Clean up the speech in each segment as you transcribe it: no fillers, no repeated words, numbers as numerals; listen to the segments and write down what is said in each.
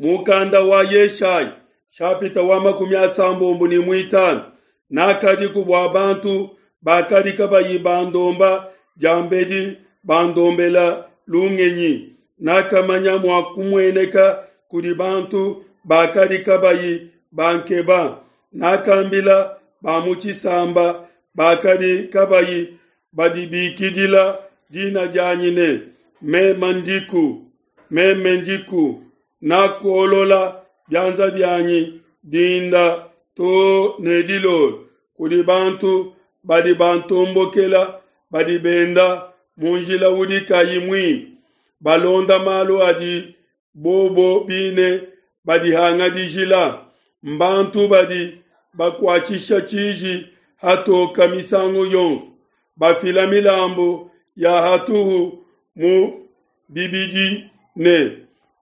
Mukanda wa Yeshaya shapita wa 35 nakadiku bua bantu bakadi kabayi bandomba diambedi bandombela lungenyi nakamanya mua kumueneka kudi bantu bakadi kabayi bankeba nakambila ba mu tshisamba bakadi kabayi badibikidila dina dianyi ne meme ndiku meme ndiku nakuolola bianza bianyi dinda too ne dilolo kudi bantu badi bantombokela badi benda mu njila udi kayi muimpe balonda malu adi bobo bine badihangadijila mbantu badi bakuatshisha tshiji hatoka misangu yonso bafila milambu ya hatuhu mu bibidi ne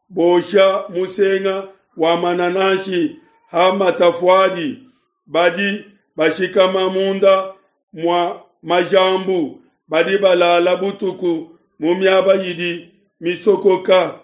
bosha musenga wa manananshi ha matafuadi badi bashikama munda mua majambu badi balala butuku mu miaba idi misokoka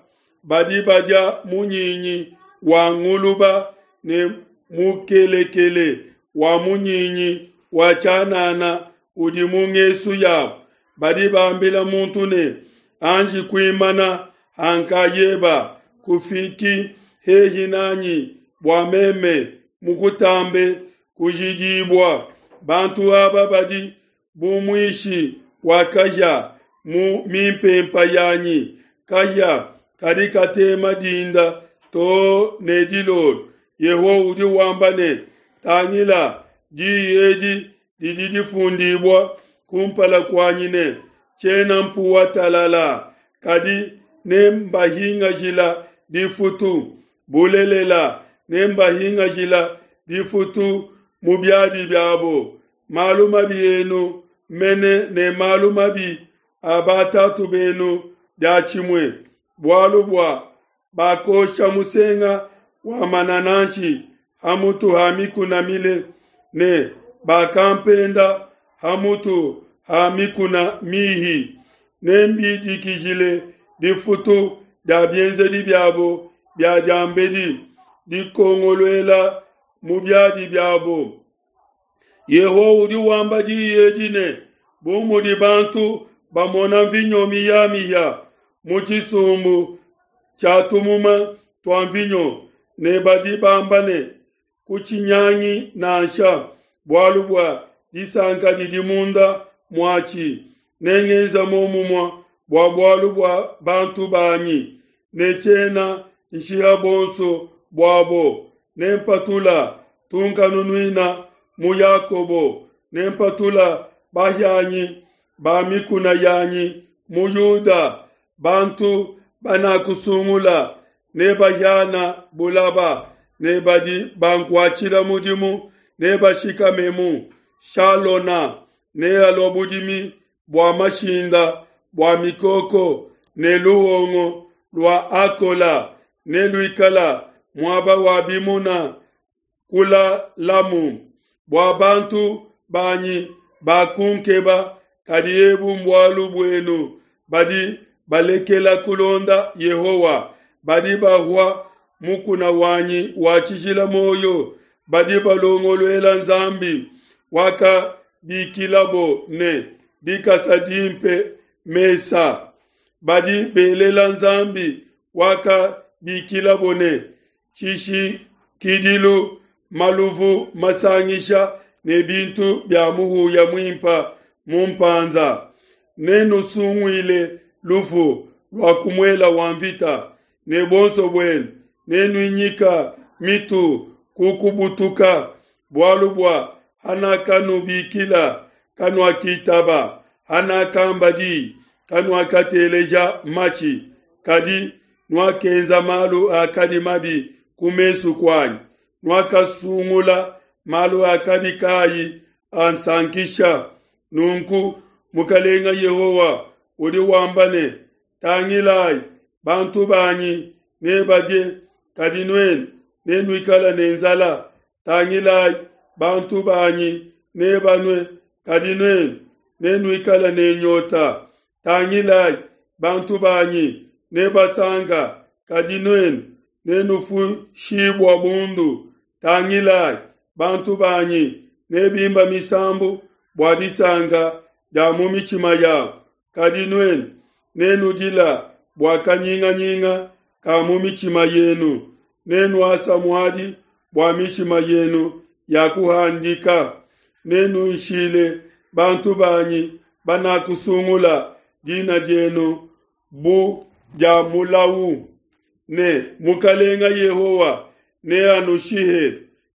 badi badia munyinyi wa nguluba ne mukelekele wa munyinyi wa tshianana udi mu ngesu yabo badi bambila muntu ne anji kuimana hankayeba kufiki hehi nanyi bua meme mukutambe kujidibua bantu aba badi bu muishi wa kahia mu mimpempa yanyi kahia kadi katema dinda too ne dilolo Yehowa udi wamba ne tangila diyi edi didi difundibua kumpala kuanyi ne tshiena mpuwa talala kadi nembahingajila difutu bulelela nembahingajila difutu mu biadi biabo malu mabi enu mene ne malu mabi a batatu benu diatshimue bualu bua bakosha musenga wa manananshi ha mutu ha mikuna mile ne bakampenda ha mutu ha mikuna mihi nembidikijile difutu dia bienzedi biabo bia diambedi dikongoluela mu biadi biabo Yehowa udi wamba diyi edi ne bu mudi bantu bamona mvinyo miyamiya mu tshisumbu tshia tumuma tua mvinyo ne badi bamba ne kutshinyangi nansha bualu bua disanka didi munda muatshi nengenza muomumue bua bualu bua bantu banyi ne tshiena nshiha bonso buabo nempatula tunkanunuina mu Yakobo nempatula bahianyi ba mikuna yanyi mu Yuda bantu banakusungula nebahiana bulaba ne badi bankuatshila mudimu nebashikamemu Shalona nealua budimi bua mashinda bua mikoko ne luhongo lua Akola neluikala muaba wa bimuna kulalamu bua bantu banyi bakunkeba kadi ebu mbualu buenu badi balekela kulonda Yehowa badi bahua mukuna wanyi wa tshijila moyo badi balongoluela Nzambi wakabikilabo ne dikasa dimpe mesa badi belela Nzambi wakabikilabo ne tshishikidilu maluvu masangisha ne bintu bia muhuya muimpa mu mpanza nenusunguile lufu lua kumuela wa mvita ne buonso buenu nenuinyika mitu kukubutuka bualu bua hanakanubikila kanuakitaba hanakamba diyi kanuakateleja matshi kadi nuakenza malu akadi mabi ku mesu kuanyi nuakasungula malu akadi kayi ansankisha nunku mukalenga Yehowa udi wamba ne tangilayi bantu banyi nebadie kadi nuenu nenuikala ne nzala tangilayi bantu banyi nebanue kadi nuenu nenuikala ne nyota tangilayi bantu banyi nebasanka kadi nuenu. Nenufuishibua bundu. Tangilai, bantu banyi nebimba misambu bua disanka dia mu mitshima yabo, kadi nuenu nenudila bua kanyinganyinga ka mu mitshima yenu, nenuasa muadi bua mitshima yenu ya kuhandika. Nenunshile bantu banyi banakusungula dina dienu bu dia mulau, ne Mukalenga Yehowa neanushihe,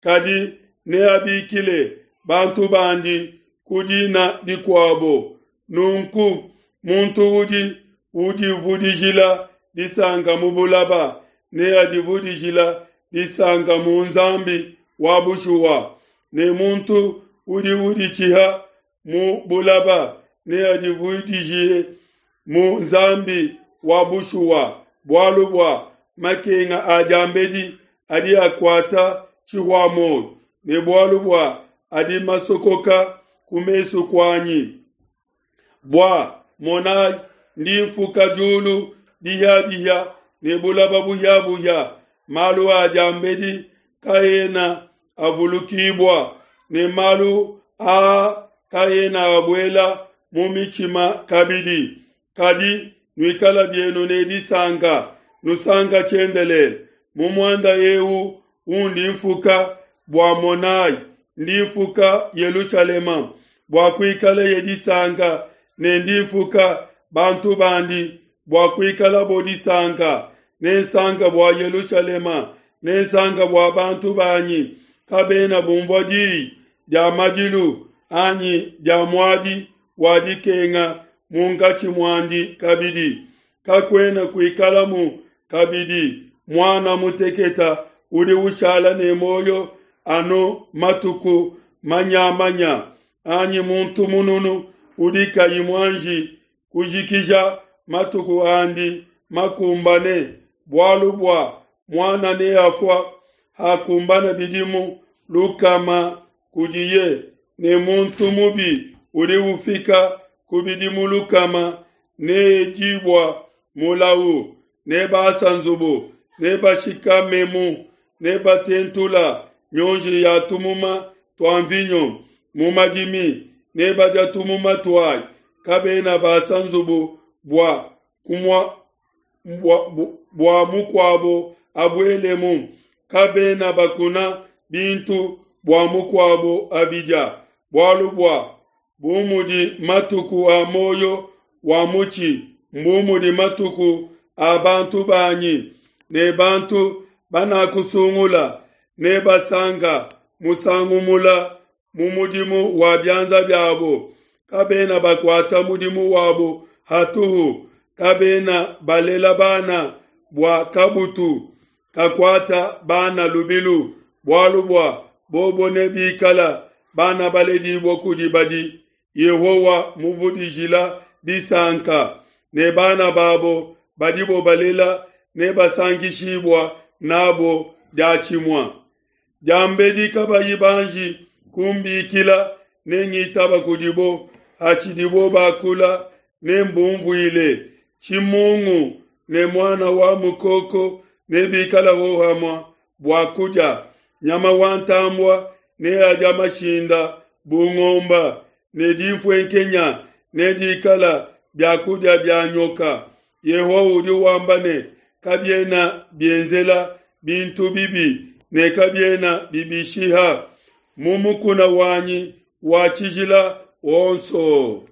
kadi neabikile bantu bandi ku dina dikuabo. Nunku muntu udi udivudijila disanka mu bulaba neadivudijila disanka mu Nzambi wa bushuwa, ne muntu udi uditshiha mu bulaba neadivudijile mu Nzambi wa bushuwa, bualu bua makenga a diambedi adi akuata tshihua-muoyo, ne bualu bua adi masokoka ku mesu kuanyi. Bua monai, ndi mfuka diulu dihia-dihia ne bulaba buhia-buhia, malu a diambedi kaena avulukibua, ne malu aa kaena abuela mu mitshima kabidi. Kadi nuikala bienu ne disanka, nusanka tshiendelele mu muanda eu undi mfuka. Bua monai, ndi mfuka Yelushalema bua kuikaleye disanka, ne ndi mfuka bantu bandi bua kuikalabo disanka. Nensanka bua Yelushalema, nensanka bua bantu banyi. Kabena bumvua diyi dia madilu anyi dia muadi wa dikenga munkatshi muandi kabidi. Kakuena kuikalamu kabidi muana muteketa udi ushala ne muoyo anu matuku manyamanya, anyi muntu mununu udi kayi muanji kujikija matuku andi makumbane, bualu bua muana neafua hakumbana bidimu lukama kudiye, ne muntu mubi udi ufika ku bidimu lukama needibua mulau. Nebasa nzubu, nebashikamemu, nebatentula mionji ya tumuma tua mvinyo mu madimi, nebadia tumuma tuayi. Kabena basa nzubu bua kumua bua, bua mukuabo abuelemu, kabena bakuna bintu bua mukuabo abidia. Bualu bua bu mudi matuku a muoyo wa mutshi, mbu mudi matuku a bantu banyi, ne bantu banakusungula nebasanka musangu mula mu mudimu wa bianza biabo. Kabena bakuata mudimu wabo hatuhu, kabena balela bana bua kabutu kakuata bana lubilu, bualu bua bobo nebikala bana baledibua kudi badi Yehowa muvudijila disanka, ne bana babo badibo balela nebasankishibua nabo diatshimue. Diambedi kabayi banji kumbikila, nengitaba kudibo, hatshidibo bakula, nembunvuile. Tshimungu ne muana wa mukoko nebikala hohamue bua kudia, nyama wa ntambua neadia mashinda bu ngomba, ne dinfuenkenya nedikala bia kudia bia nyoka. Yehowa udi wamba ne, kabiena bienzela bintu bibi ne kabiena bibishiha mu mukuna wanyi wa tshijila wonso.